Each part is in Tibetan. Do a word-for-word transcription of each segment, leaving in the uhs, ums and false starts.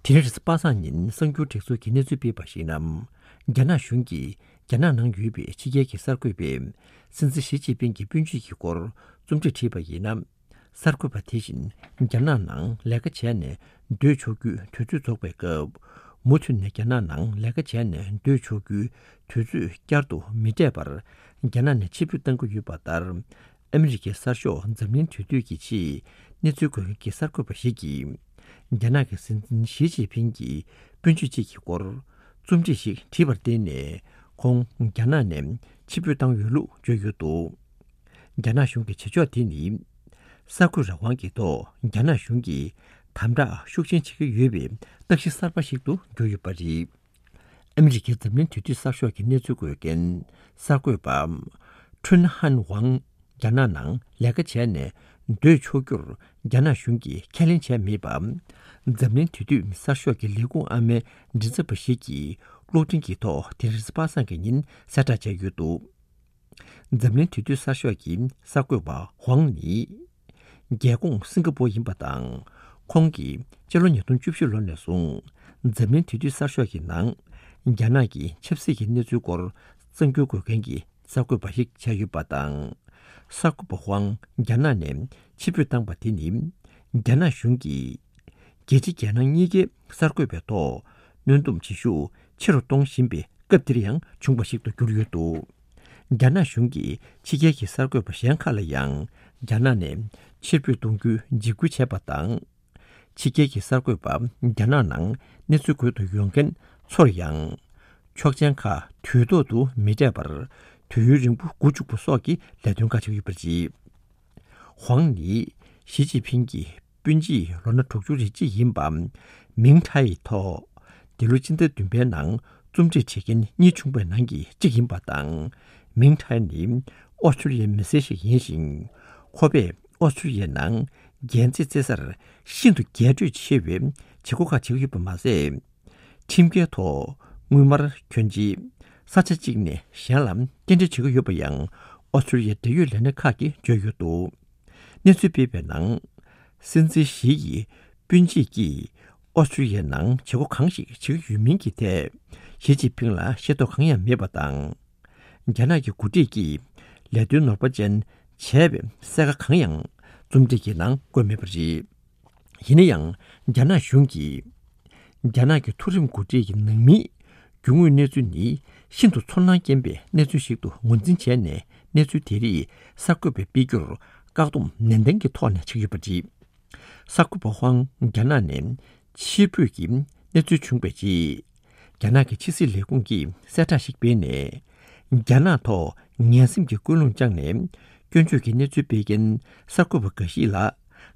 དེ་རིང་རེས་གཟའ་པ་སངས་ཉིན་གསར་འགྱུར་སྒྲིག་འཛུགས་ཀྱིས་གནས་ཚུལ་སྤེལ་བར་གཞིགས་ན། རྒྱ་ནག་གཞུང་གིས་རྒྱ་ནག་ནང་ཡོད་པའི་ཕྱི་རྒྱལ་གྱི་གསར་འགོད་པས་སྲིད་འཛིན་ཞི་ཅིན་ཕིང་གི་སྤུན་མཆེད་ཀྱི་སྐོར་རྩོམ་སྒྲིག་བྲིས་པ་ཡིན་ན། གསར་འགོད་པ་དེ་བཞིན་རྒྱ་ནག་ནང་ལས་ཀ་བྱས་ནས་སྡོད་ཆོག་རྒྱུའི་དུས་ཚོད་རྫོགས་པའི་སྐབས། མུ་མཐུད་ནས་རྒྱ་ནག་ནང་ལས་ཀ་བྱས་ནས་སྡོད་ཆོག་རྒྱུའི་དུས་ཚོད་བསྐྱར་དུ་མི་སྤྲད་པར་རྒྱ་ནག་ནས་ཕྱིར་འབུད་གཏང་གི་ཡོད་པ་ལྟར། ཨ་མི་རི་ཀའི་གསར་ཤོག་འཛམ་གླིང་དུས་དེབ་ཀྱི་ཆེད་གནས་ཚུལ་འགོད་མཁན་གྱི་གསར་འགོད་པ་ཞིག་གིས། རྒྱ་ནག་གི་སྲིད་འཛིན་ཞི་ཅིན་ཕིང་གི་སྤུན་མཆེད་ཅིག་གི་སྐོར་རྩོམ་སྒྲིག་ཞིག་བྲིས་པར་བརྟེན་ནས། ཁོང་རྒྱ་ནག་ནས་ཕྱིར་འབུད་བཏང་ཡོད་ལུགས་བརྗོད་ཡོད་འདུག་རྒྱ་ནག་གཞུང་གི་བྱེད་ཕྱོགས་དེ་ནི། གསར་འགོད་རང་དབང་གི་ཐོག་རྒྱ་ནག་གཞུང་གིས་དམ་དྲག་ཤུགས་ཆེན་བྱེད་ཀྱི་ཡོད་པའི་རྟགས་གཞི་གསར་པ་ཞིག་ཏུ་གྱུར་ཡོད་པ་རེད། ཨ་མི་རི་ཀའི་འཛམ་གླིང་དུས་དེབ་གསར་ཤོག་གི་གནས་ཚུལ་འགོད་མཁན་གསར་འགོད་པ་ཁྲུན་ཧན་ཝང་རྒྱ་ནག་ནང་ལས་ཀ་བྱས་ནས་སྡོད་ཆོག་རྒྱུར་རྒྱ་ནག་གཞུང་གིས་ཁས་ལེན་བྱས་མེད་པ། འཛམ་གླིང་དུས་དེབ་གསར་ཤོག་གི་ལས་ཁུངས་ཨ་མའི་མགྲིན་ཚབ་པ་ཞིག་གིས་གློག་འཕྲིན་གྱི་ཐོག་དེ་རིང་རེས་གཟའ་པ་སངས་ཀྱི་ཉིན་གསལ་བསྒྲགས་བྱས་ཡོད་འདུག་འཛམ་གླིང་དུས་དེབ་གསར་ཤོག་གི་གསར་འགོད་པ་ཧུང་ནི། རྒྱལ་ཁོངས་སིང་ག་པོར་ཡིན་པ་དང་། ཁོང་གིས་སྤྱི་ལོ་ཉིས་སྟོང་བཅུ་བཞི་ལོ་ནས་བཟུང་འཛམ་གླིང་དུས་དེབ་གསར་ཤོག་གི་ནང་རྒྱ་ནག་གི་ཆབ་སྲིད་ཀྱི་གནས་ཚུལ་སྐོར་གསར་འགྱུར་འགོད་མཁན་གྱི་གསར་འགོད་པ་ཞིག་བྱས་ཡོད་པ་དང་། གསར་འགོད་པ་ཧུང་རྒྱ་ནག་ནས་ཕྱིར་འབུད་བཏང་པ་དེ་ནི། རྒྱ་ནག་གཞུང་གིས་རྒྱལ་སྤྱི་རྒྱལ་ནང་གཉིས་ཀའི་གསར་འགོད་པའི་ཐོག་གནོན་སྡོམ་བྱེད་ཤུགས་ཆེ་རུ་གཏོང་བཞིན་པའི་སྐབས་འདིར་ཡང་བྱུང་བ་ཞིག་ཏུ་གྱུར་ཡོད་འདུག་རྒྱ་ནག་གཞུང་གིས་ཕྱི་རྒྱལ་གྱི་གསར་འགོད་པ་གཞན་ཁག་ལ་ཡང་རྒྱ་ནག་ནས་ཕྱིར་འབུད་གཏོང་རྒྱུའི་འཇིགས་སྐུལ་བྱས་པ་དང་། ཕྱི་རྒྱལ་གྱི་གསར་འགོད་པ་རྒྱ་ནག་ནང་གནས་ཚུལ་འགོད་དུ་ཡོང་མཁན་ཚོར་ཡང་། ཆོག་མཆན་ཁག་དུས་ཐོག་ཏུ་མི་སྤྲད་པར་དུས་ཡུན་རིང་པོ་སྒུག་བཅུག་པ་སོགས་ཀྱི་ལས་དོན་ཁག་བྱེད་ཀྱི་ཡོད་པ་རེད། ཧུང་ནི་ཞི་ཅིན་ཕིང་གི་སྤུན་མཆེད་ལོ་ན་དྲུག་ཅུ་རེ་གཅིག་ཡིན་པ་མིང་ཁྲའི་ཐོག་འདི་ལོ་སྤྱི་ཟླ་བདུན་པའི་ནང་རྩོམ་སྒྲིག་བྱེད་མཁན་གཉིས་བྱུང་བའི་ནང་གི་གཅིག་ཡིན་པ་དང་། མིང་ཁྲའི་ནི་ཨོ་སི་ཀྲི་ལི་ཡའི་མི་སེར་ཞིག་ཡིན་ཞིང་། ཁོ་པས་ཨོ་སི་ཀྲི་ལི་ཡའི་ནང་རྒྱལ་རྩེད་རྩེ་སར་ཤིན་ཏུ་རྒྱས་སྤྲོས་ཆེ་བའི་བྱེད་སྒོ་ཁག་བྱེད་ཀྱི་ཡོད་པ་མ་ཟད། ཁྲིམས་འགལ་ཐོག་དངུལ་སྨར་གྱོན་ཆས་ས་ཆ་གཅིག་ནས་གཞན་ལ་སྐྱེལ་འདྲེན་བྱེད་ཀྱི་ཡོད་པ་ཡང་ཨོ་སི་ཀྲི་ལི་ཡའི་འབྲེལ་ཡོད་ལས་སྣེ་ཁག་གིས་བརྗོད་ཡོད་འདུག་གནས་ཚུལ་སྤེལ་བའི་ནང་། སྲིད་འཛིན་ཞི་ཡི་སྤུན་མཆེད་ཀྱིས་ཨོ་སི་ཀྲི་ལི་ཡའི་ནང་བྱེད་སྒོ་གང་ཞིག་བྱེད་ཀྱི་ཡོད་མིན་གྱི་ཐད་ཞི་ཅིན་ཕིང་ལ་ཤེས་རྟོགས་གང་ཡང་མེད་པ་དང་། རྒྱ་ནག་གི་འགོ་ཁྲིད་ཀྱིས་ལས་དོན་ནོར་བ་ཅན་བྱས་པའི་གསལ་ཁ་གང་ཡང་རྩོམ་སྒྲིག་གི་ནང་བཀོད་མེད་པ་རེད། ཡིན་ན་ཡང་རྒྱ་ནག་གཞུང་གིས་རྒྱ་ནག་གི་མཐོ་རིམ་འགོ་ཁྲིད་ཀྱི་ནང་མིའི་རྒྱུ་དངོས་གནས་ཚུལ་ནི་ཤིན་ཏུ་ཚོར་སྣང་སྐྱེན་པའི་གནས་ཚུལ་ཞིག་ཏུ་ངོས་འཛིན་བྱས་ནས། གནས་ཚུལ་དེ་རིགས་གསར་འགོད་པས་སྤེལ་རྒྱུར་བཀག་སྡོམ་ནན་ཏན་གྱི་ཐོག་ནས་བྱེད་ཀྱི་ཡོད་པ་རེད། གསར་འགོད་པ་ཧུང་རྒྱ་ནག་ནས་ཕྱིར་འབུད་ཀྱི་གནས་ཚུལ་བྱུང་བའི་རྗེས། རྒྱ་ནག་གི་ཕྱི་སྲིད་ལས་ཁུངས་ཀྱིས་གསལ་བསྒྲགས་ཤིག་སྤེལ་ནས། རྒྱ་ནག་ཐོག་ངན་སེམས་ཀྱི་ཀུན་སློང་བཅངས་ནས་སྐྱོན་བརྗོད་ཀྱི་གནས་ཚུལ་སྤེལ་མཁན་གསར་འགོད་པ་འགའ་ཞིག་ལ་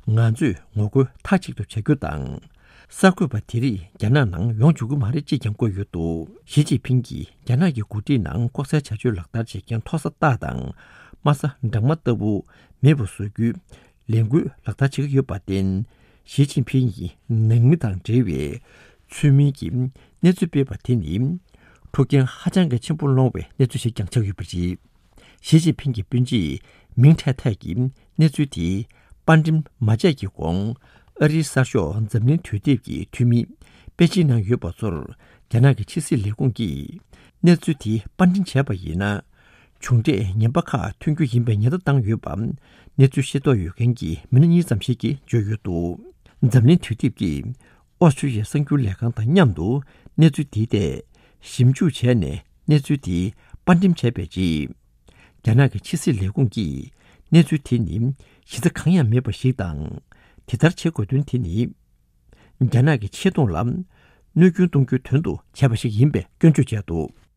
ང་ཚོས་ངོ་རྒོལ་མཐའ་གཅིག་ཏུ་བྱ་རྒྱུ་དང་། གསར་འགོད་པ་དེ་རིགས་རྒྱ་ནག་ནང་ཡོང་བཅུག་གི་མ་རེད་ཅེས་ཀྱང་བཀོད་ཡོད་འདུག་ཞི་ཅིན་ཕིང་གིས་རྒྱ་ནག་གི་འགོ་ཁྲིད་ནང་ལྐོག་ཟའི་བྱ་སྤྱོད་ལག་བསྟར་བྱེད་མཁན་མཐོ་ས་རྟགས་དང་དམའ་ས་འབྲང་མ་ལྟ་བུ་མེད་པ་བཟོ་རྒྱུའི་ལས་འགུལ་ལག་བསྟར་བྱེད་ཀྱི་ཡོད་པར་བརྟེན། ཞི་ཅིན་ཕིང་གིས་ནང་མི་དང་འབྲེལ་བའི་ཚུལ་མིན་གྱི་གནས་ཚུལ་སྤེལ་བ་དེ་ནི་འཁྲུག་རྐྱེན་ཧ་ཅང་གི་ཆེན་པོ་སློང་བའི་གནས་ཚུལ་ཞིག་ཀྱང་ཆགས་ཡོད་པ་རེད། ཞི་ཅིན་ཕིང་གི་སྤུན་མཆེད་མིང་ཁྲའེ་ཐའེ་གིས་གནས་ཚུལ་དེ་དཔར་འགྲེམས་མ་བྱས་ཀྱི་གོང་། ཨ་རིའི་གསར་ཤོག་འཛམ་གླིང་དུས་དེབ་ཀྱི་འཐུས་མི་པེ་ཅིན་ནང་ཡོད་པ་ཚོར་རྒྱ་ནག་གི་ཕྱི་སྲིད་ལས་ཁུངས་ཀྱིས་གནས་ཚུལ་དེ་དཔར་འགྲེམས་བྱས་པ་ཡིན་ན། བྱུང་འབྲས་ངན་པ་ཁག་ཐོན་རྒྱུ་ཡིན་པའི་ཉེན་བརྡ་བཏང་ཡོད་པ། གནས་ཚུལ་ཤེས་རྟོགས་ཡོད་མཁན་གྱི་མི་སྣ་གཉིས་ཙམ་ཞིག་གིས་བརྗོད་ཡོད་འདུག་འཛམ་གླིང་དུས་དེབ་ཀྱིས་ཨོ་སི་ཀྲི་ལི་ཡའི་གསར་འགྱུར་ལས་ཁང་དང་མཉམ་དུ་གནས་ཚུལ་དེའི་ཐད་ཞིབ་འཇུག་བྱས་ནས། གནས་ཚུལ་དེ་དཔར་འགྲེམས་བྱས་པའི་རྗེས། རྒྱ་ནག་གི་ཕྱི་སྲིད་ལས་ཁུངས་ཀྱིས་གནས་ཚུལ་དེ་ནི་གཞི་རྩ་གང་ཡང་མེད་པ་ཞིག་དང་། དེ་ལྟར་བྱེད་དགོས་དོན་དེ་ནི། རྒྱ་ནག་གི་ཆེ་མཐོང་ལ་གནོད་སྐྱོན་གཏོང་རྒྱུའི་དོན་དུ་བྱས་པ་ཞིག་ཡིན་པའི་སྐྱོན་བརྗོད་བྱས་འདུག